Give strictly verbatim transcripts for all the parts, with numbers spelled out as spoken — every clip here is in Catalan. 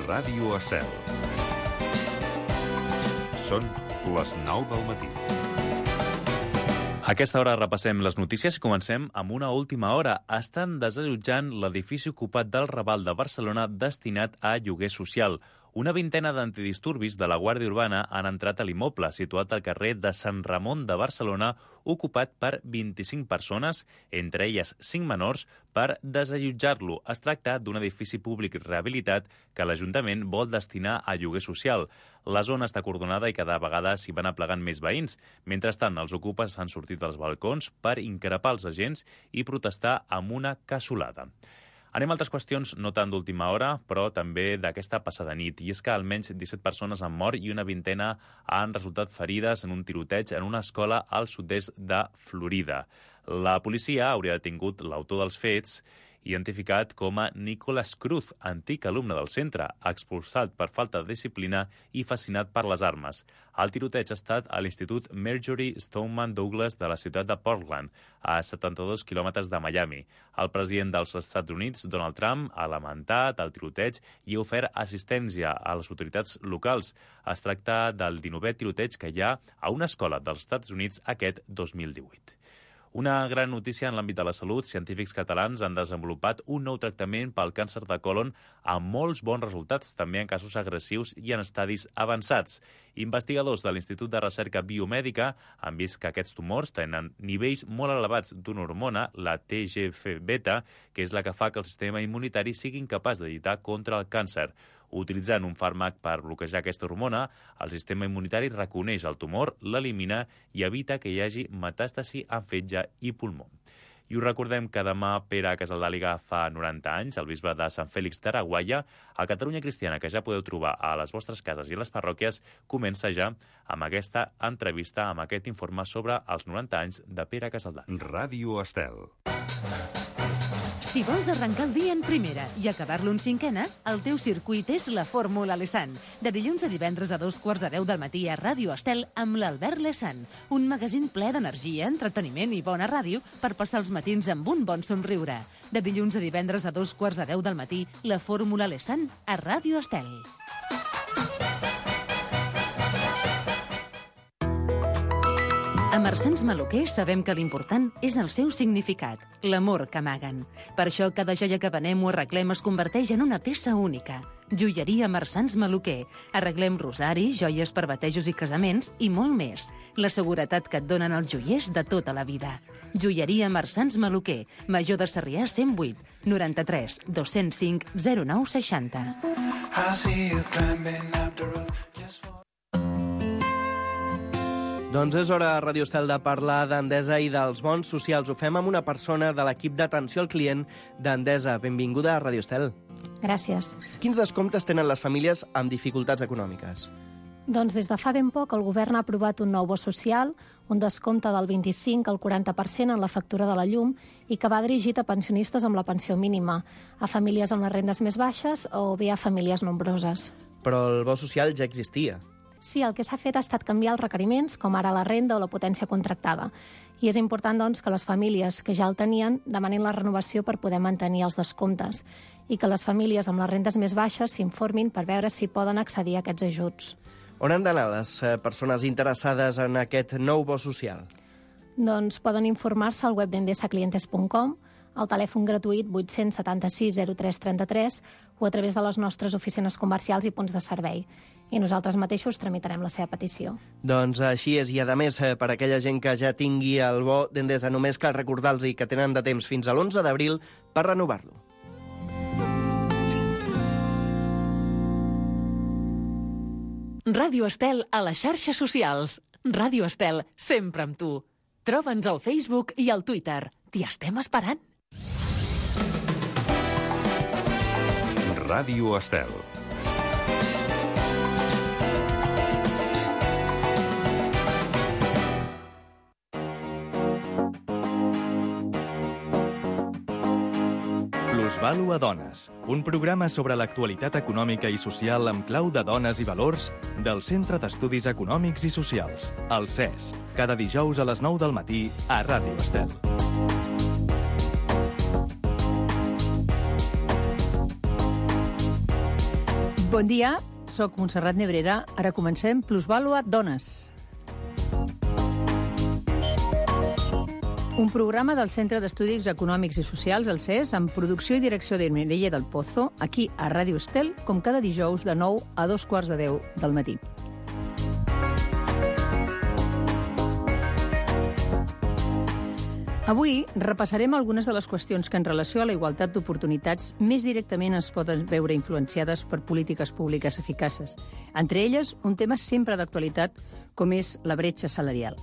Ràdio Estel. Són les nou del matí. A aquesta hora repassem les notícies i comencem amb una última hora. Estan desallotjant l'edifici ocupat del Raval de Barcelona destinat a lloguer social. Una vintena d'antidisturbis de la Guàrdia Urbana han entrat a l'immoble, situat al carrer de Sant Ramon de Barcelona, ocupat per vint-i-cinc persones, entre elles cinc menors, per desallotjar-lo. Es tracta d'un edifici públic rehabilitat que l'Ajuntament vol destinar a lloguer social. La zona està acordonada i cada vegada s'hi van aplegant més veïns. Mentrestant, els ocupes han sortit dels balcons per increpar els agents i protestar amb una cassolada. Anem a altres qüestions, no tant d'última hora, però també d'aquesta passada nit. I és que almenys disset persones han mort i una vintena han resultat ferides en un tiroteig en una escola al sud-est de Florida. La policia hauria detingut l'autor dels fets, identificat com a Nicholas Cruz, antic alumne del centre, expulsat per falta de disciplina i fascinat per les armes. El tiroteig ha estat a l'Institut Marjory Stoneman Douglas de la ciutat de Portland, a setanta-dos quilòmetres de Miami. El president dels Estats Units, Donald Trump, ha lamentat el tiroteig i ha ofert assistència a les autoritats locals. Es tracta del dinovè tiroteig que hi ha a una escola dels Estats Units aquest dos mil divuit. Una gran notícia en l'àmbit de la salut. Científics catalans han desenvolupat un nou tractament pel càncer de còlon amb molts bons resultats, també en casos agressius i en estadis avançats. Investigadors de l'Institut de Recerca Biomèdica han vist que aquests tumors tenen nivells molt elevats d'una hormona, la T G F beta, que és la que fa que el sistema immunitari sigui incapaç de lluitar contra el càncer. Utilitzant un fàrmac per bloquejar aquesta hormona, el sistema immunitari reconeix el tumor, l'elimina i evita que hi hagi metàstasi en fetge i pulmó. I us recordem que demà Pere Casaldàliga fa noranta anys, el bisbe de Sant Fèlix d'Araguaia. A Catalunya Cristiana, que ja podeu trobar a les vostres cases i les parròquies, comença ja amb aquesta entrevista, amb aquest informe sobre els noranta anys de Pere Casaldàliga. Ràdio Estel. Si vols arrencar el dia en primera i acabar-lo en cinquena, el teu circuit és la Fórmula Lesan. De dilluns a divendres a dos quarts de deu del matí a Ràdio Estel amb l'Albert Lesan. Un magazín ple d'energia, entreteniment i bona ràdio per passar els matins amb un bon somriure. De dilluns a divendres a dos quarts de deu del matí, la Fórmula Lesan a Ràdio Estel. A Marsans Maluquer sabem que l'important és el seu significat, l'amor que amaguen. Per això cada joia que venem o arreglem es converteix en una peça única. Joieria Marsans Maluquer. Arreglem rosaris, joies per batejos i casaments i molt més. La seguretat que et donen els joiers de tota la vida. Joieria Marsans Maluquer. Major de Sarrià cent vuit, noranta-tres, dos-cents cinc, zero nou seixanta. Doncs és hora a Ràdio Estel de parlar d'Endesa i dels bons socials. Ho fem amb una persona de l'equip d'atenció al client d'Endesa. Benvinguda a Ràdio Estel. Gràcies. Quins descomptes tenen les famílies amb dificultats econòmiques? Doncs des de fa ben poc el govern ha aprovat un nou bo social, un descompte del vint-i-cinc al quaranta per cent en la factura de la llum i que va dirigit a pensionistes amb la pensió mínima, a famílies amb les rendes més baixes o bé a famílies nombroses. Però el bo social ja existia. Sí, el que s'ha fet ha estat canviar els requeriments, com ara la renda o la potència contractada. I és important, doncs, que les famílies que ja el tenien demanin la renovació per poder mantenir els descomptes i que les famílies amb les rendes més baixes s'informin per veure si poden accedir a aquests ajuts. On han d'anar les persones interessades en aquest nou bo social? Doncs poden informar-se al web d'endesa clientes punt com, al telèfon gratuït vuit-cents setanta-sis zero tres trenta-tres o a través de les nostres oficines comercials i punts de servei. I nosaltres mateixos tramitarem la seva petició. Doncs així és, i a més, per aquella gent que ja tingui el bo d'Endesa, només cal recordar-los que tenen de temps fins a l'onze d'abril per renovar-lo. Ràdio Estel a les xarxes socials. Ràdio Estel, sempre amb tu. Troba'ns al Facebook i al Twitter. T'hi estem esperant. Ràdio Estel. Plusvàlua a dones, un programa sobre l'actualitat econòmica i social amb clau de dones i valors del Centre d'Estudis Econòmics i Socials, el C E S, cada dijous a les nou del matí a Ràdio Estel. Bon dia, sóc Montserrat Nebrera. Ara comencem Plusvàlua Dones. Un programa del Centre d'Estudis Econòmics i Socials, el C E S, amb producció i direcció de Mireia del Pozo, aquí a Ràdio Estel, com cada dijous de nou a dos quarts de deu del matí. Avui repassarem algunes de les qüestions que en relació a la igualtat d'oportunitats més directament es poden veure influenciades per polítiques públiques eficaces. Entre elles, un tema sempre d'actualitat, com és la bretxa salarial.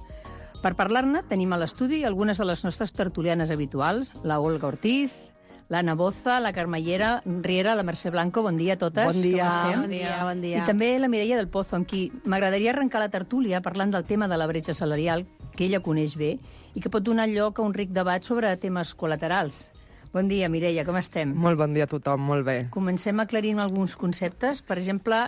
Per parlar-ne, tenim a l'estudi algunes de les nostres tertulianes habituals, la Olga Ortiz, l'Anna Boza, la Carmellera Riera, la Mercè Blanco. Bon dia a totes. Bon dia. Com estem? Bon dia, bon dia. I també la Mireia del Pozo, amb qui m'agradaria arrencar la tertúlia parlant del tema de la bretxa salarial, que ella coneix bé, i que pot donar lloc a un ric debat sobre temes col·laterals. Bon dia, Mireia, com estem? Molt bon dia a tothom, molt bé. Comencem aclarint alguns conceptes. Per exemple,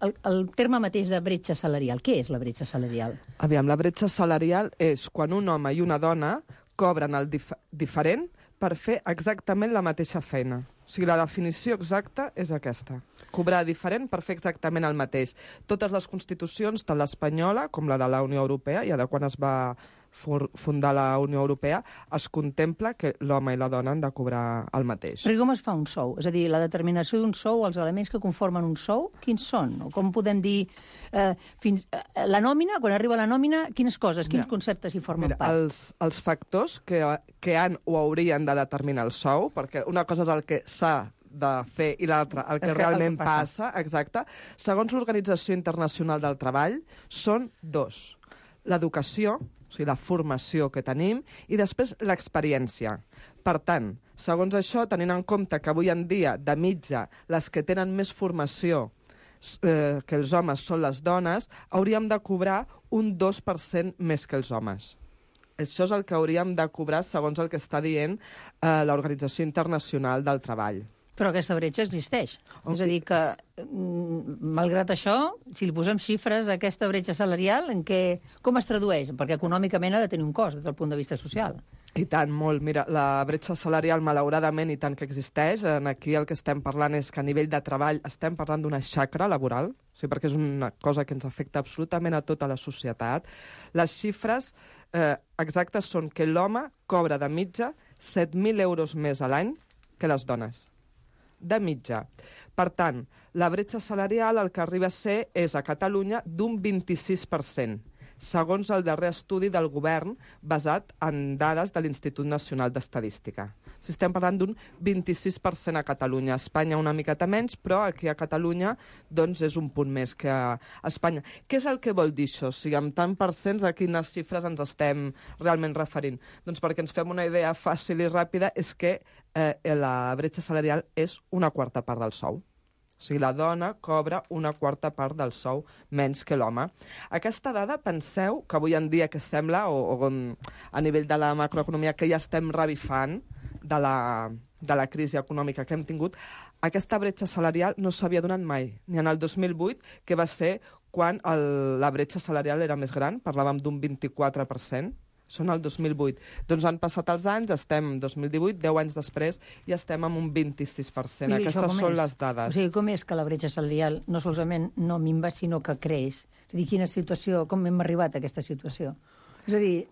el, el terme mateix de bretxa salarial. Què és la bretxa salarial? Aviam, la bretxa salarial és quan un home i una dona cobren el dif diferent per fer exactament la mateixa feina. O sigui, la definició exacta és aquesta. Cobrar diferent per fer exactament el mateix. Totes les constitucions, tant l'espanyola com la de la Unió Europea, ja de quan es va fundar la Unió Europea, es contempla que l'home i la dona han de cobrar el mateix. Però com es fa un sou? És a dir, la determinació d'un sou, els elements que conformen un sou, quins són? O com podem dir, eh, fins, eh, la nòmina, quan arriba la nòmina, quines coses, quins mira, conceptes hi formen mira, part? Els, els factors que, que han o haurien de determinar el sou, perquè una cosa és el que s'ha de fer i l'altra el que el que, realment el que passa. passa, exacte, segons l'Organització Internacional del Treball, són dos. L'educació, o sigui, la formació que tenim, i després l'experiència. Per tant, segons això, tenint en compte que avui en dia, de mitja, les que tenen més formació eh, que els homes són les dones, hauríem de cobrar un dos per cent més que els homes. Això és el que hauríem de cobrar segons el que està dient eh, l'Organització Internacional del Treball. Però aquesta bretxa existeix. Okay. És a dir, que, malgrat això, si li posem xifres a aquesta bretxa salarial, en què, com es tradueix? Perquè econòmicament ha de tenir un cost des del punt de vista social. I tant, molt. Mira, la bretxa salarial, malauradament, i tant que existeix, aquí el que estem parlant és que a nivell de treball estem parlant d'una xacra laboral, o sigui, perquè és una cosa que ens afecta absolutament a tota la societat. Les xifres eh, exactes són que l'home cobra de mitja set mil euros més a l'any que les dones. De mitja. Per tant, la bretxa salarial el que arriba a ser és a Catalunya d'un vint-i-sis per cent, segons el darrer estudi del govern basat en dades de l'Institut Nacional d'Estadística. O sigui, estem parlant d'un vint-i-sis per cent a Catalunya. A Espanya una miqueta menys, però aquí a Catalunya doncs, és un punt més que a Espanya. Què és el que vol dir això? O sigui, amb tant per cents, a quines xifres ens estem realment referint? Doncs perquè ens fem una idea fàcil i ràpida, és que eh, la bretxa salarial és una quarta part del sou. O sigui, la dona cobra una quarta part del sou menys que l'home. Aquesta dada, penseu que avui en dia que sembla, o, o a nivell de la macroeconomia, que ja estem revifant de la, de la crisi econòmica que hem tingut, aquesta bretxa salarial no s'havia donat mai, ni en el dos mil vuit, que va ser quan el, la bretxa salarial era més gran, parlàvem d'un vint-i-quatre per cent, són el dos mil vuit. Doncs han passat els anys, estem dos mil divuit, deu anys després, i estem amb un vint-i-sis per cent. Aquestes són les dades. O sigui, com és que la bretxa salarial no solament no minva, sinó que creix? És a dir, quina situació, com hem arribat a aquesta situació? És a dir,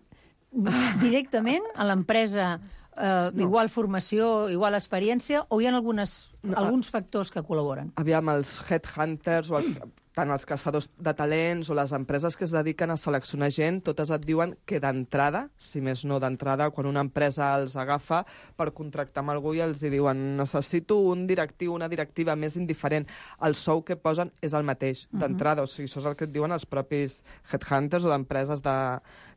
directament a l'empresa, eh, no. igual formació, igual experiència, o hi ha algunes, no, alguns factors que col·laboren? Aviam, els headhunters o els... tant els caçadors de talents o les empreses que es dediquen a seleccionar gent, totes et diuen que d'entrada, si més no d'entrada, quan una empresa els agafa per contractar amb algú i els diuen necessito un directiu, una directiva més indiferent, el sou que posen és el mateix d'entrada. Uh-huh. O sigui, això és el que et diuen els propis headhunters o d'empreses de,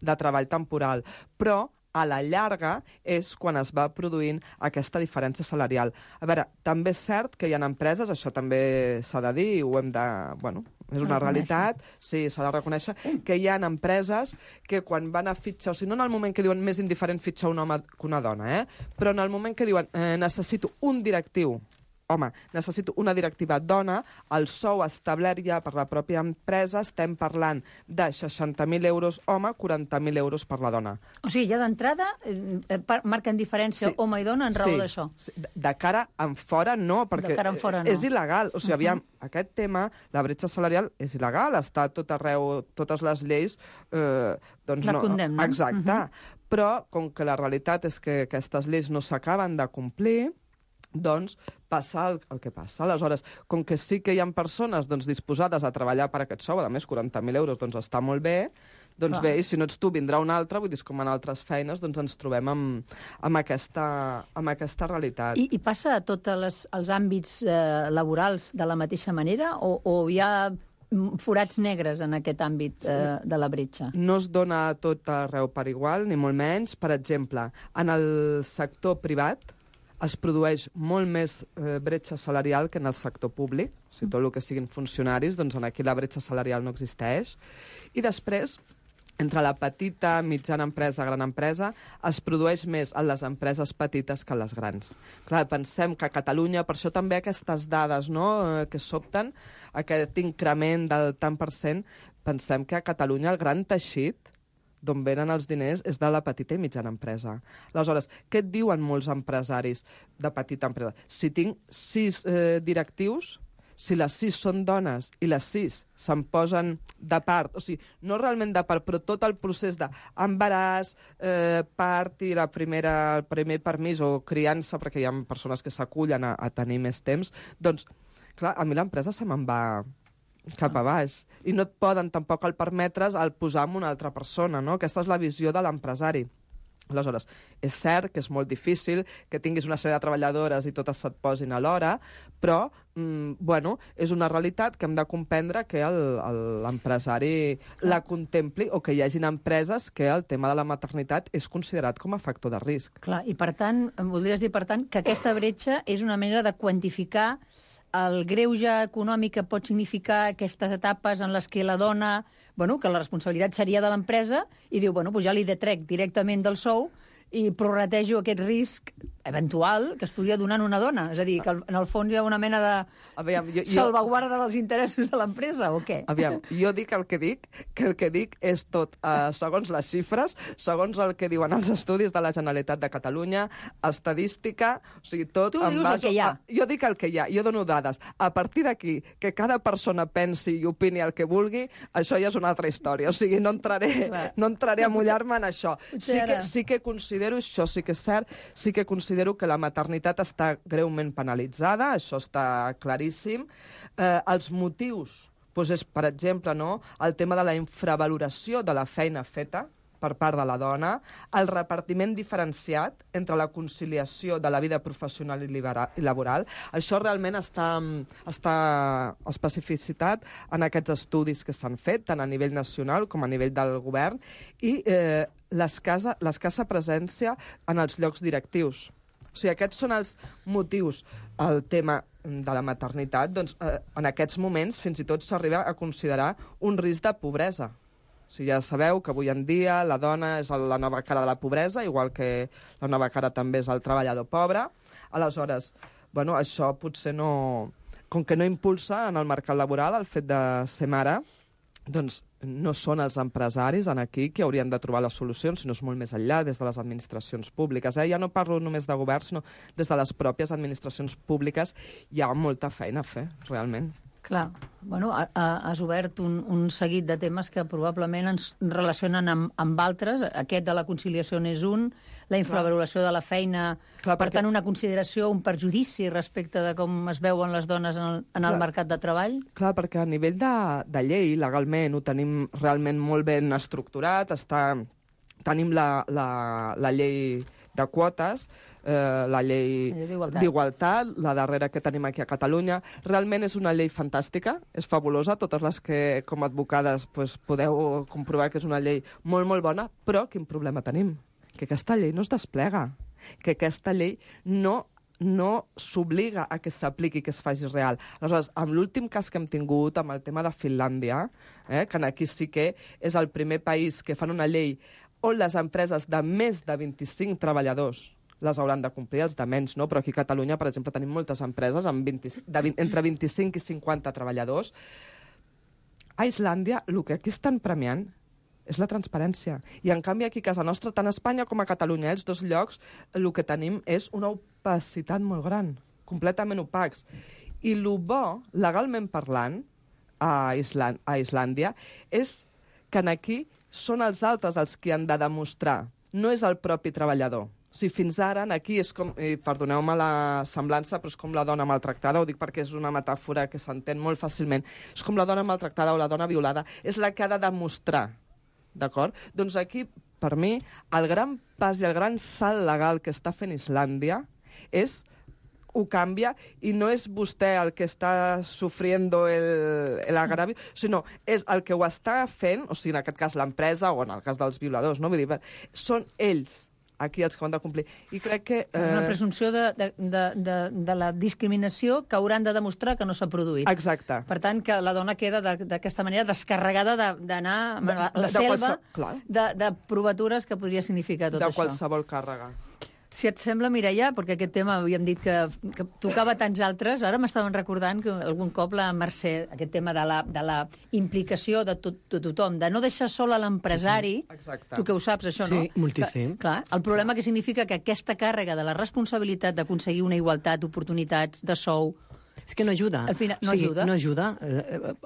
de treball temporal. Però a la llarga és quan es va produint aquesta diferència salarial. A veure, també és cert que hi ha empreses, això també s'ha de dir, ho hem de... Bueno, és una realitat, sí, s'ha de reconèixer, que hi ha empreses que quan van a fitxar, o sigui, no en el moment que diuen més indiferent fitxar un home que una dona, eh? Però en el moment que diuen eh, necessito un directiu home, necessito una directiva dona, el sou establert ja per la pròpia empresa, estem parlant de seixanta mil euros home, quaranta mil euros per la dona. O sigui, ja d'entrada eh, marquen diferència sí. home i dona en raó sí. d'això. Sí. De cara en fora no, perquè de cara en fora, no. és il·legal. O sigui, aviam, uh-huh. aquest tema, la bretxa salarial, és il·legal, està tot arreu, totes les lleis... Eh, doncs la no, condemnen. Exacte. Uh-huh. Però, com que la realitat és que aquestes lleis no s'acaben de complir, doncs passa el, el que passa. Aleshores, com que sí que hi ha persones doncs, disposades a treballar per aquest sou, a més quaranta mil euros doncs està molt bé, doncs Clar. bé, i si no ets tu vindrà un altre, vull dir, com en altres feines, doncs ens trobem amb, amb, aquesta, amb aquesta realitat. I, i passa a tots les, els àmbits eh, laborals de la mateixa manera o, o hi ha forats negres en aquest àmbit eh, de la bretxa? No es dona tot arreu per igual, ni molt menys. Per exemple, en el sector privat, es produeix molt més eh, bretxa salarial que en el sector públic. O sigui, tot el que siguin funcionaris, doncs aquí la bretxa salarial no existeix. I després, entre la petita, mitjana empresa, gran empresa, es produeix més en les empreses petites que en les grans. Clar, pensem que a Catalunya, per això també aquestes dades no, eh, que sobten, aquest increment del tant per cent, pensem que a Catalunya el gran teixit d'on venen els diners és de la petita i mitjana empresa. Aleshores, què et diuen molts empresaris de petita empresa? Si tinc sis eh, directius, si les sis són dones i les sis se'n posen de part, o sigui, no realment de part, però tot el procés d'embaràs, eh, part i la primera, el primer permís o criança, perquè hi ha persones que s'acullen a, a tenir més temps, doncs, clar, a mi l'empresa se me'n va cap a baix. I no et poden tampoc el permetre's el posar en una altra persona, no? Aquesta és la visió de l'empresari. Aleshores, és cert que és molt difícil que tinguis una sèrie de treballadores i totes se't posin a l'hora, però, mm, bueno, és una realitat que hem de comprendre que l'empresari la contempli o que hi hagin empreses que el tema de la maternitat és considerat com a factor de risc. Clar, i per tant, em voldries dir, per tant, que aquesta bretxa és una manera de quantificar el greuge econòmic que pot significar aquestes etapes en les que la dona, bueno, que la responsabilitat seria de l'empresa, i diu, bueno, doncs ja li detrec directament del sou i prorratejo aquest risc eventual que es podria donar en una dona. És a dir, que en el fons hi ha una mena de Aviam, jo, jo... salvaguarda dels interessos de l'empresa, o què? Aviam, jo dic el que dic, que el que dic és tot eh, segons les xifres, segons el que diuen els estudis de la Generalitat de Catalunya, estadística, o sigui, tot... Tu dius el que hi ha. A, jo dic el que hi ha, jo dono dades. A partir d'aquí, que cada persona pensi i opini el que vulgui, això ja és una altra història. O sigui, no entraré, no entraré a mullar-me en això. Sí que, sí que considero, això sí que és cert, sí que considero que la maternitat està greument penalitzada, això està claríssim. Eh, els motius, doncs és, per exemple, no, el tema de la infravaloració de la feina feta per part de la dona, el repartiment diferenciat entre la conciliació de la vida professional i, i laboral. Això realment està, està especificitat en aquests estudis que s'han fet, tant a nivell nacional com a nivell del govern, i eh, l'escassa l'escassa presència en els llocs directius. O sigui, aquests són els motius. El tema de la maternitat, doncs, eh, en aquests moments fins i tot s'arriba a considerar un risc de pobresa. O sigui, ja sabeu que avui en dia la dona és la nova cara de la pobresa, igual que la nova cara també és el treballador pobre. Aleshores, bueno, això potser no... Com que no impulsa en el mercat laboral el fet de ser mare, doncs no són els empresaris en aquí que haurien de trobar les solucions, sinó és molt més enllà, des de les administracions públiques. Eh? Ja no parlo només de govern, sinó des de les pròpies administracions públiques hi ha molta feina a fer, realment. Clar, bueno, ha, has obert un, un seguit de temes que probablement ens relacionen amb, amb altres. Aquest de la conciliació n'és un, la infravaloració de la feina, Clar, per perquè... tant, una consideració, un perjudici respecte de com es veuen les dones en el, en el mercat de treball. Clar, perquè a nivell de, de llei, legalment, ho tenim realment molt ben estructurat, està, tenim la, la, la llei de quotes, eh, la llei d'igualtat, la darrera que tenim aquí a Catalunya. Realment és una llei fantàstica, és fabulosa, totes les que com a advocades pues, podeu comprovar que és una llei molt, molt bona, però quin problema tenim? Que aquesta llei no es desplega, que aquesta llei no no s'obliga a que s'apliqui, que es faci real. Aleshores, amb l'últim cas que hem tingut, amb el tema de Finlàndia, eh, que aquí sí que és el primer país que fan una llei on les empreses de més de vint-i-cinc treballadors, les hauran de complir, els de menys, no? Però aquí a Catalunya, per exemple, tenim moltes empreses amb vint, de vint, entre vint-i-cinc i cinquanta treballadors. A Islàndia, el que aquí estan premiant és la transparència. I, en canvi, aquí a casa nostra, tant a Espanya com a Catalunya, els dos llocs, el que tenim és una opacitat molt gran, completament opacs. I el bo, legalment parlant, a, Island, a Islàndia, és que aquí són els altres els que han de demostrar, no és el propi treballador. O sigui, fins ara, aquí és com, i perdoneu-me la semblança, però és com la dona maltractada, ho dic perquè és una metàfora que s'entén molt fàcilment, és com la dona maltractada o la dona violada, és la que ha de demostrar, d'acord? Doncs aquí, per mi, el gran pas i el gran salt legal que està fent Islàndia és ho canvia i no és vostè el que està sofriendo el, el agravi, sinó és el que ho està fent, o sigui, en aquest cas l'empresa o en el cas dels violadors, no? Vull dir, són ells aquí els que ho han de complir. I crec que... Eh... Una presumpció de, de, de, de, de la discriminació que hauran de demostrar que no s'ha produït. Exacte. Per tant, que la dona queda d'aquesta manera descarregada d'anar a la de, de, selva de, qualse... de, de provatures que podria significar tot de això. De qualsevol càrrega. Si et sembla, Mireia, perquè aquest tema havíem dit que, que tocava tants altres, ara m'estaven recordant que algun cop la Mercè, aquest tema de la, de la implicació de, tot, de tothom, de no deixar sol a l'empresari, sí, sí. Tu que ho saps, això, no? Sí, moltíssim. Que, clar, el problema que significa que aquesta càrrega de la responsabilitat d'aconseguir una igualtat d'oportunitats, de sou... És que no ajuda. Al final, no o sigui, ajuda. No ajuda.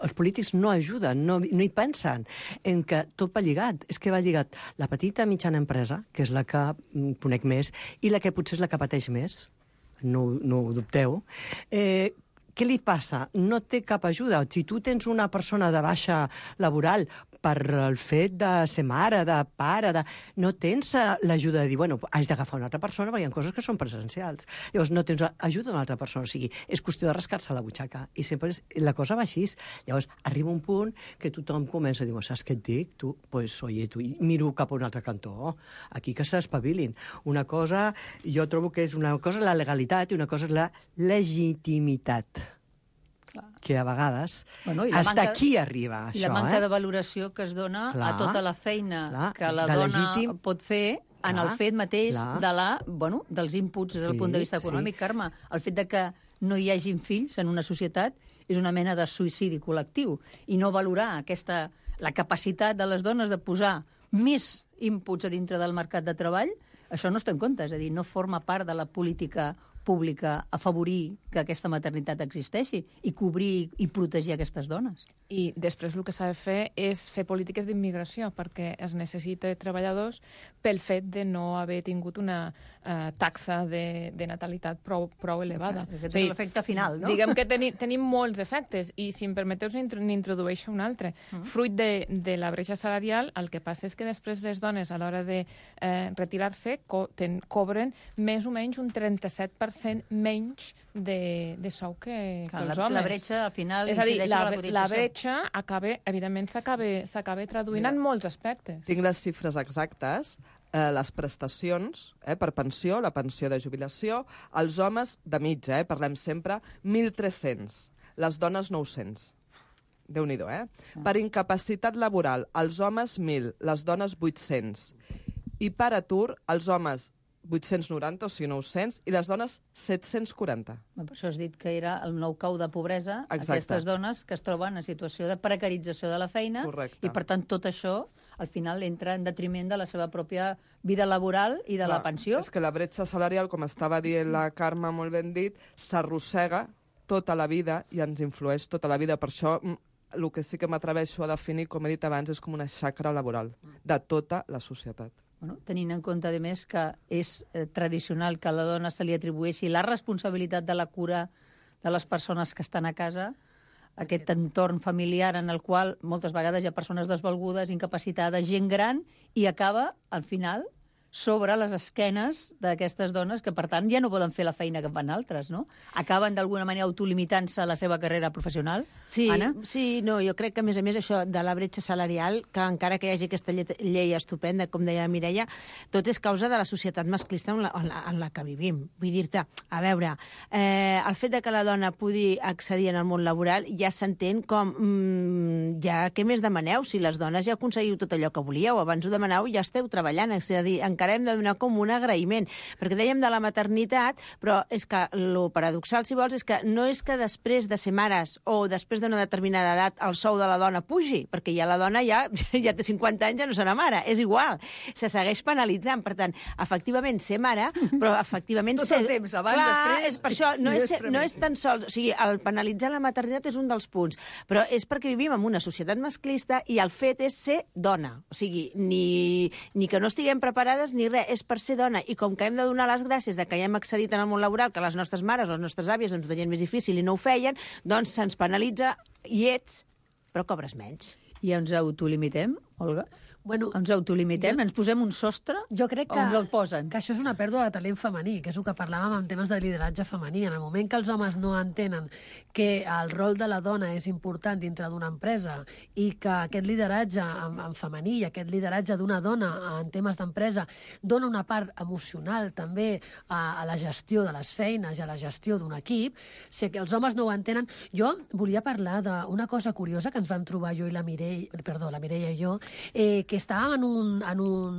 Els polítics no ajuden, no, no hi pensen en que tot va lligat. És que va lligat la petita mitjana empresa, que és la que conec més, i la que potser és la que pateix més, no, no ho dubteu. Eh, què li passa? No té cap ajuda. Si tu tens una persona de baixa laboral per el fet de ser mare, de pare, de... no tens l'ajuda de dir, bueno, has d'agafar una altra persona perquè hi ha coses que són presencials. Llavors no tens ajuda d'una altra persona. O sigui, és qüestió de rascar-se la butxaca. I sempre és... la cosa va així. Llavors arriba un punt que tothom comença a dir, saps què et dic? Tu, pues, oye, tu, miro cap a un altre cantó. Aquí que s'espavilin. Una cosa, jo trobo que és una cosa la legalitat i una cosa és la legitimitat. Que a vegades bueno, hasta manca, aquí arriba això. I la manca eh? de valoració que es dona clar, a tota la feina clar, que la dona legítim, pot fer en clar, el fet mateix de la, bueno, dels inputs des del sí, punt de vista econòmic, sí. Carme. El fet de que no hi hagin fills en una societat és una mena de suïcidi col·lectiu i no valorar aquesta, la capacitat de les dones de posar més inputs a dintre del mercat de treball, això no es té en compte, és a dir, no forma part de la política pública afavorir que aquesta maternitat existeixi i cobrir i protegir aquestes dones. I després el que s'ha de fer és fer polítiques d'immigració, perquè es necessita treballadors pel fet de no haver tingut una uh, taxa de, de natalitat prou, prou elevada. Aquest és l'efecte final, no? Diguem que teni, tenim molts efectes, i si em permeteu n'introdueixo un altre. Uh -huh. Fruit de, de la bretxa salarial, el que passa és que després les dones, a l'hora de eh, retirar-se, co ten, cobren més o menys un trenta-set per cent menys de, de sou que, clar, que els la, homes. La bretxa, al final, és a dir, incideix la, en la cotització. La bretxa, acaba, evidentment, s'acaba traduint Mira. en molts aspectes. Tinc les xifres exactes. Eh, les prestacions eh, per pensió, la pensió de jubilació, els homes de mitja, eh, parlem sempre, mil tres-cents, les dones nou-cents. Déu-n'hi-do, eh? Ah. Per incapacitat laboral, els homes mil, les dones vuit-cents. I per atur, els homes vuit-cents noranta, o sigui, nou-cents, i les dones set-cents quaranta. Per això has dit que era el nou cau de pobresa, exacte. Aquestes dones que es troben en situació de precarització de la feina, correcte. I per tant tot això al final entra en detriment de la seva pròpia vida laboral i de Clar, la pensió. És que la bretxa salarial, com estava dient la Carme molt ben dit, s'arrossega tota la vida i ens influeix tota la vida. Per això el que sí que m'atreveixo a definir, com he dit abans, és com una xacra laboral de tota la societat. Bueno, tenint en compte, a més, que és eh, tradicional que a la dona se li atribueixi la responsabilitat de la cura de les persones que estan a casa, aquest entorn familiar en el qual moltes vegades hi ha persones desvalgudes, incapacitades, gent gran, i acaba, al final, sobre les esquenes d'aquestes dones que, per tant, ja no poden fer la feina que fan altres, no? Acaben, d'alguna manera, autolimitant-se la seva carrera professional. Sí, Anna? sí, no, jo crec que, a més a més, això de la bretxa salarial, que encara que hi hagi aquesta llei estupenda, com deia la Mireia, tot és causa de la societat masclista en la, en la, en la que vivim. Vull dir-te, a veure, eh, el fet de que la dona pugui accedir en el món laboral ja s'entén com, mm, ja què més demaneu? Si les dones ja aconseguiu tot allò que volíeu, abans ho demaneu, ja esteu treballant, és a dir, en encara hem de donar com un agraïment. Perquè dèiem de la maternitat, però és que el paradoxal, si vols, és que no és que després de ser mares o després d'una determinada edat el sou de la dona pugi, perquè ja la dona ja, ja té cinquanta anys, ja no serà mare. És igual. Se segueix penalitzant. Per tant, efectivament, ser mare, però efectivament... Tot ser... el temps, abans, Clar, després... És per això, no és, ser, no és tan sols... O sigui, el penalitzar la maternitat és un dels punts, però és perquè vivim en una societat masclista i el fet és ser dona. O sigui, ni, ni que no estiguem preparades ni res, és per ser dona. I com que hem de donar les gràcies de que ja hem accedit en el món laboral, que les nostres mares, les nostres àvies ens ho tenien més difícil i no ho feien, doncs se'ns penalitza i ets, però cobres menys. I ens autolimitem, Olga? Bueno, ens autolimitem, jo, ens posem un sostre jo crec que, o ens el posen? Que això és una pèrdua de talent femení, que és el que parlàvem en temes de lideratge femení. En el moment que els homes no entenen que el rol de la dona és important dintre d'una empresa i que aquest lideratge en, en femení i aquest lideratge d'una dona en temes d'empresa dona una part emocional també a, a la gestió de les feines i a la gestió d'un equip, si els homes no ho entenen... Jo volia parlar d'una cosa curiosa que ens vam trobar jo i la Mireia, perdó, la Mireia i jo, eh, que estàvem en un, en un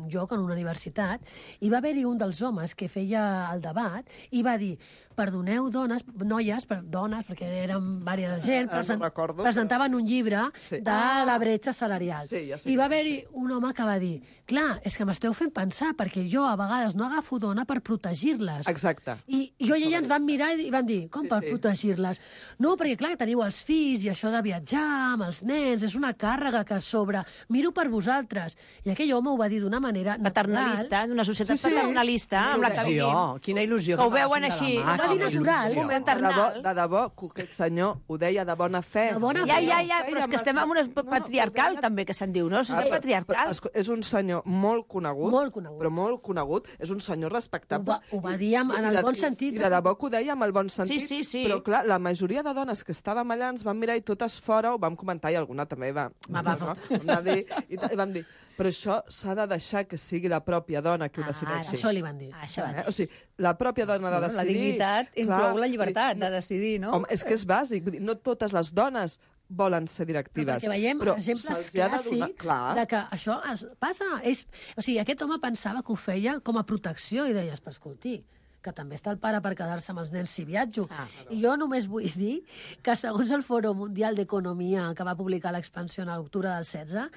lloc, en una universitat, i va haver-hi un dels homes que feia el debat i va dir, perdoneu, dones, noies, per, dones, perquè eren diversa gent, ah, present, no presentaven un llibre sí. de la bretxa salarial. Sí, ja sé I va haver-hi un home que va dir, clar, és que m'esteu fent pensar, perquè jo a vegades no agafo dona per protegir-les. Exacte. I jo i ella ens van mirar i van dir, com sí, per sí. protegir-les? No, perquè clar, teniu els fills i això de viatjar amb els nens, és una càrrega que sobre... Miro per vosaltres. I aquell home ho va dir d'una manera paternalista, d'una societat sí, sí. paternalista, amb la que vivim. Quina il·lusió. Que ho veuen així. Ho va dir natural. De debò, de debò, que aquest senyor ho deia de bona fe. De bona ja, fe. ja, ja, però és que estem en una patriarcal, no, no, també, que se'n diu, no? Societat ah, patriarcal. Però, és un senyor molt conegut, molt conegut, però molt conegut, és un senyor respectable. Ho va, ho va dir en, en el bon sentit. I de debò que ho deia amb el bon sentit. Sí, sí, sí. Però, clar, la majoria de dones que estàvem allà ens van mirar i totes fora ho vam comentar i alguna també va... Va, va, no? va dir, i, i vam dir, però això s'ha de deixar que sigui la pròpia dona qui ho decideixi. Ah, això li van dir. Ah, això van dir. Eh? O sigui, la pròpia dona ha de decidir... La dignitat inclou clar, la llibertat de decidir, no? Home, és que és bàsic. Vull dir, no totes les dones volen ser directives. Però perquè veiem però exemples de donar... clàssics Clar. de que això es passa. És... O sigui, aquest home pensava que ho feia com a protecció i deies, però escolti, que també està el pare per quedar-se amb els nens si viatjo. Ah, I jo només vull dir que segons el Fòrum Mundial d'Economia que va publicar l'Expansió en l'octubre del setze,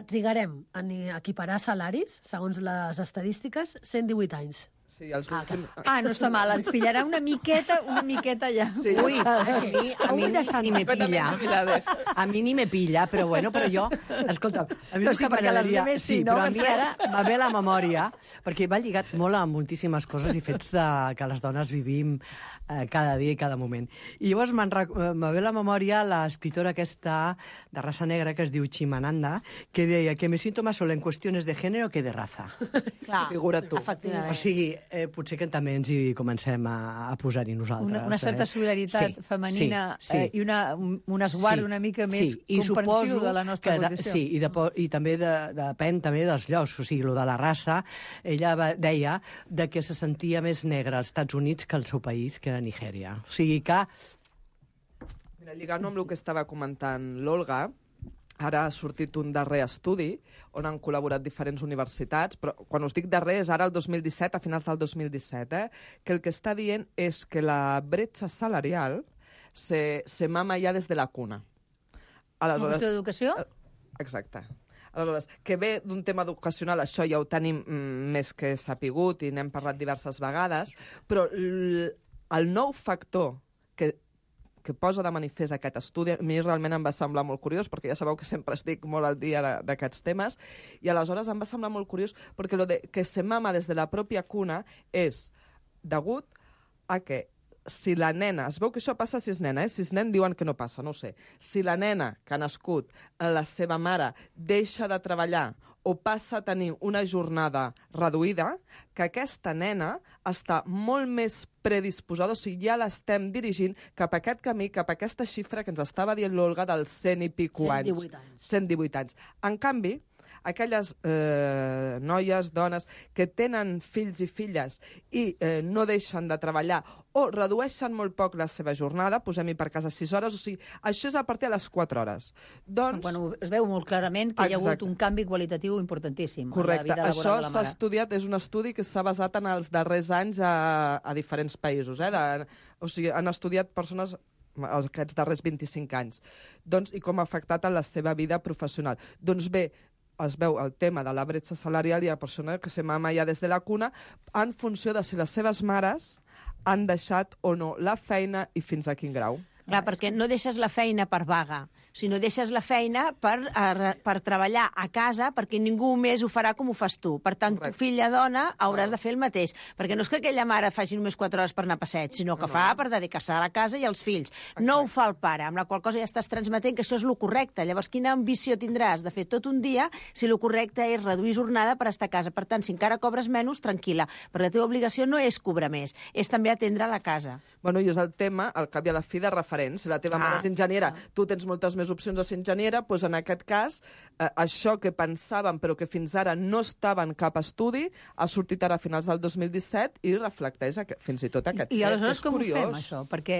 trigarem a equiparar salaris, segons les estadístiques, cent divuit anys. Sí, els ah, ah, no està mal, ens pillarà una miqueta, una miqueta ja. Sí. Ui, a mi, a mi ni me pilla. A mi ni me pilla, però bueno, però jo, escolta, a mi no sí, perquè les demés sí, sí, no? Però a mi ara me ve la memòria, perquè va lligat molt a moltíssimes coses i fets de, que les dones vivim eh, cada dia i cada moment. I llavors me ve la memòria l'escriptora aquesta de raça negra que es diu Chimananda, que deia que me siento más sola en qüestions de género que de raza. Clar, figura tu. Efectivament. O sigui, eh, potser que també ens hi comencem a, a posar-hi nosaltres. Una, una certa eh? solidaritat sí, femenina sí, sí. Eh, i una, un esguard sí, una mica més sí, comprensiu de la nostra que condició. De, sí, i, de, i també de, depèn també dels llocs, o sigui, lo de la raça, ella va, deia de que se sentia més negra als Estats Units que al seu país, que era Nigèria. O sigui que... Mira, lligant amb el que estava comentant l'Olga, ara ha sortit un darrer estudi on han col·laborat diferents universitats, però quan us dic darrer és ara el dos mil disset, a finals del dos mil disset, eh, que el que està dient és que la bretxa salarial se, se mama ja des de la cuna. Aleshores, una qüestió d'educació? Exacte. Aleshores, que ve d'un tema educacional, això ja ho tenim mm, més que sapigut i n'hem parlat diverses vegades, però el nou factor que que posa de manifest aquest estudi, a mi realment em va semblar molt curiós, perquè ja sabeu que sempre estic molt al dia d'aquests temes, i aleshores em va semblar molt curiós perquè lo de que se mama des de la pròpia cuna és degut a que si la nena, es veu que això passa si és nena, eh? Si és nen diuen que no passa, no ho sé. Si la nena que ha nascut, la seva mare, deixa de treballar o passa a tenir una jornada reduïda, que aquesta nena està molt més predisposada, o sigui, ja l'estem dirigint cap a aquest camí, cap a aquesta xifra que ens estava dient l'Olga dels cent i pico anys. cent divuit anys. cent divuit anys. En canvi, aquelles eh, noies, dones, que tenen fills i filles i eh, no deixen de treballar o redueixen molt poc la seva jornada, posem-hi per casa sis hores, o sigui, això és a partir de les quatre hores. Doncs... Bueno, es veu molt clarament que hi ha hagut un canvi qualitatiu importantíssim. Correcte. En la vida laboral això de la s'ha mare. estudiat, és un estudi que s'ha basat en els darrers anys a, a diferents països. Eh? De, o sigui, han estudiat persones aquests darrers vint-i-cinc anys. Doncs, i com ha afectat a la seva vida professional. Doncs bé, es veu el tema de la bretxa salarial i hi ha persones que se mama ja des de la cuna en funció de si les seves mares han deixat o no la feina i fins a quin grau. Clar, perquè no deixes la feina per vaga, sinó deixes la feina per, a, per treballar a casa perquè ningú més ho farà com ho fas tu. Per tant, tu, filla dona, hauràs de fer el mateix. Perquè no és que aquella mare faci només quatre hores per anar a passeig, sinó que no, fa no. per dedicar-se a la casa i als fills. Exacte. No ho fa el pare, amb la qual cosa ja estàs transmetent que això és el correcte. Llavors, quina ambició tindràs de fer tot un dia si el correcte és reduir jornada per estar a casa? Per tant, si encara cobres menys, tranquil·la. Però la teva obligació no és cobrar més, és també atendre la casa. Bueno, i és el tema, al cap i a la fi, de referents. Si la teva ah, mare és enginyera, ah. tu tens moltes més opcions de ser enginyera, doncs en aquest cas, eh, això que pensàvem però que fins ara no estava en cap estudi, ha sortit ara a finals del dos mil disset i reflecteix aquest, fins i tot aquest I, i aleshores fet, com curiós. ho fem, això? Perquè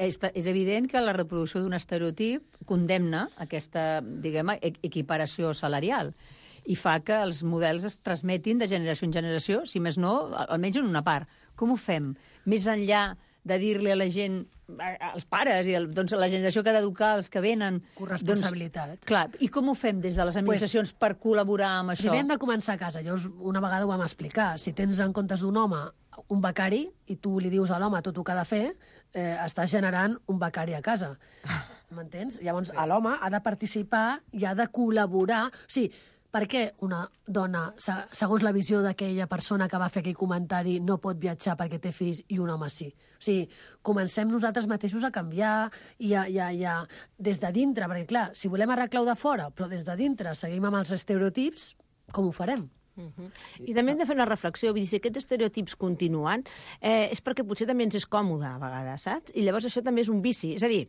és, és evident que la reproducció d'un estereotip condemna aquesta, diguem, equiparació salarial i fa que els models es transmetin de generació en generació, si més no, almenys en una part. Com ho fem? Més enllà de dir-li a la gent, als pares, i el, doncs, la generació que ha d'educar, els que venen... Corresponsabilitat. Doncs, clar, i com ho fem des de les administracions pues, per col·laborar amb això? Primer hem de començar a casa. Llavors, una vegada ho vam explicar. Si tens en comptes d'un home un becari i tu li dius a l'home tot el que ha de fer, eh, estàs generant un becari a casa. M'entens? Llavors, l'home ha de participar i ha de col·laborar. O sigui, per què una dona, segons la visió d'aquella persona que va fer aquell comentari, no pot viatjar perquè té fills i un home sí? O sigui, comencem nosaltres mateixos a canviar i a, i a, i a, des de dintre, perquè clar, si volem arreglar-ho de fora, però des de dintre seguim amb els estereotips, com ho farem? Uh-huh. I també hem de fer una reflexió, vull dir, si aquests estereotips continuen, eh, és perquè potser també ens és còmode a vegades, saps? I llavors això també és un vici. És a dir,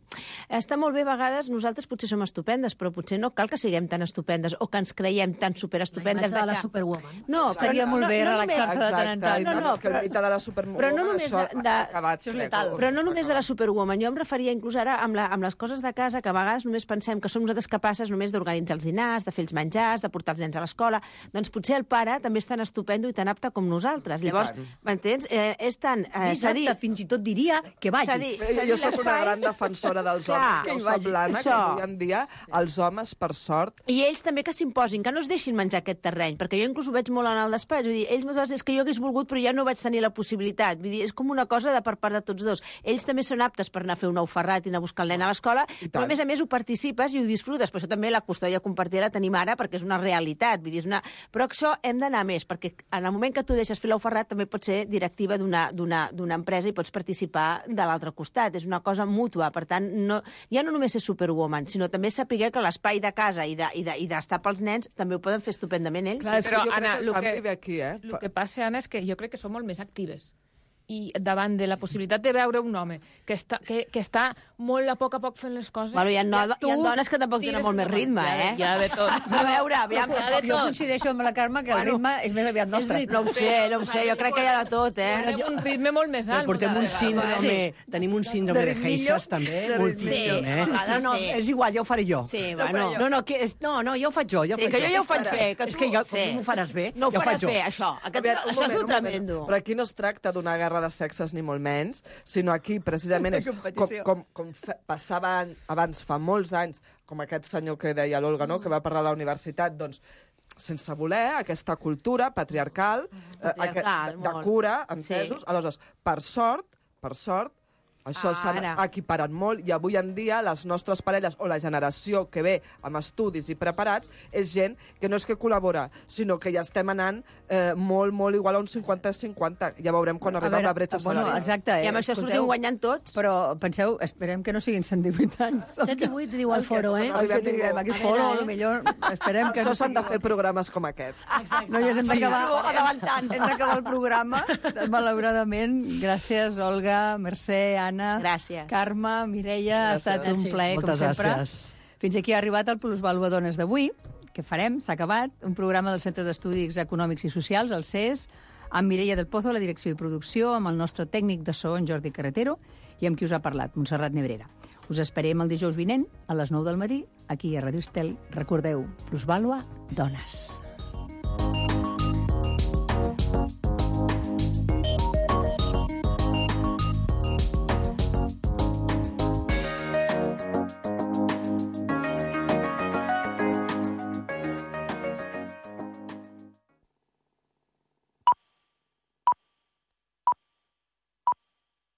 està molt bé a vegades, nosaltres potser som estupendes, però potser no cal que siguem tan estupendes o que ens creiem tan superestupendes. La imatge de la superwoman. No, estaria molt bé relaxar-se de tant en tant. No, no, que el mite de la superwoman, però no només de, de, acabat, però no només de la superwoman. Jo em referia inclús ara amb, la, amb les coses de casa, que a vegades només pensem que som nosaltres capaces només d'organitzar els dinars, de fer els menjars, de portar els nens a l'escola. Doncs potser el pare també és tan estupendo i tan apte com nosaltres. Llavors, m'entens? Eh, és tan... Eh, Més apte, fins i tot diria que vagi. Dir, jo soc una gran defensora dels homes. Jo soc l'Anna, que avui en dia els homes, per sort... I ells també que s'imposin, que no es deixin menjar aquest terreny, perquè jo inclús ho veig molt en el despatx. Vull dir, ells moltes vegades és que jo hagués volgut, però ja no vaig tenir la possibilitat. Vull dir, és com una cosa de per part de tots dos. Ells també són aptes per anar a fer un ou ferrat i anar a buscar el nen a l'escola, però a més a més ho participes i ho disfrutes. Per això també la custòdia compartida la tenim ara, perquè és una realitat. Vull dir, és una... Però això hem d'anar més, perquè en el moment que tu deixes fer l'ou ferrat també pots ser directiva d'una empresa i pots participar de l'altre costat. És una cosa mútua. Per tant, no, ja no només és superwoman, sinó també saber que l'espai de casa i d'estar de, i de, pels nens també ho poden fer estupendament ells. Clar, sí, però, Anna, el que, que, aquí, eh? el que passa, Anna, és que jo crec que som molt més actives. I davant de la possibilitat de veure un home que està, que, que està molt a poc a poc fent les coses... Bueno, hi ha, no, ja hi ha dones que tampoc tenen molt més ritme, eh? Hi ha de tot. No, a veure, aviam... Jo coincideixo amb la Carme que el ritme és més aviat nostre. No ho sé, no ho sé, jo crec que hi ha de tot, eh? Tenim un ritme molt més alt. Portem un síndrome, tenim un síndrome de Heisas, també, moltíssim, eh? No, no, és igual, ja ho faré jo. Sí, bueno. No, no, que és, no, no, ja ho faig jo, ja ho sí, faig que jo ja ho faig bé. És que jo, com m'ho faràs bé, no ja ho faig jo. No ho faràs bé, això. Això és un tremendo. Però aquí no es tracta d'una guerra de sexes ni molt menys, sinó aquí precisament és com, com, com passava abans fa molts anys, com aquest senyor que deia l'Olga, no? Que va parlar a la universitat, doncs sense voler aquesta cultura patriarcal, patriarcal eh, de, de cura, entesos. Sí. Aleshores, per sort, per sort, això s'ha equiparat molt i avui en dia les nostres parelles o la generació que ve amb estudis i preparats és gent que no és que col·labora, sinó que ja estem anant eh, molt, molt igual a un cinquanta cinquanta. Ja veurem quan arriba la bretxa salarial. Bueno, exacte. I amb això sortim guanyant tots. Però penseu, esperem que no siguin cent divuit anys. cent divuit diu el foro, eh? El que diguem, aquest foro, millor, esperem que... Això s'han de fer programes com aquest. Exacte. Noies, hem d'acabar el programa. Malauradament, gràcies, Olga, Mercè, Anna, gràcies. Carme, Mireia, gràcies. Ha estat un plaer, moltes com sempre. Gràcies. Fins aquí ha arribat el Plusvàlua Dones d'avui, què farem? S'ha acabat. Un programa del Centre d'Estudis Econòmics i Socials, el C E S, amb Mireia del Pozo, a la direcció i producció, amb el nostre tècnic de so, en Jordi Carretero, i amb qui us ha parlat, Montserrat Nebrera. Us esperem el dijous vinent, a les nou del matí, aquí a Radio Estel. Recordeu, plusvàlua, dones.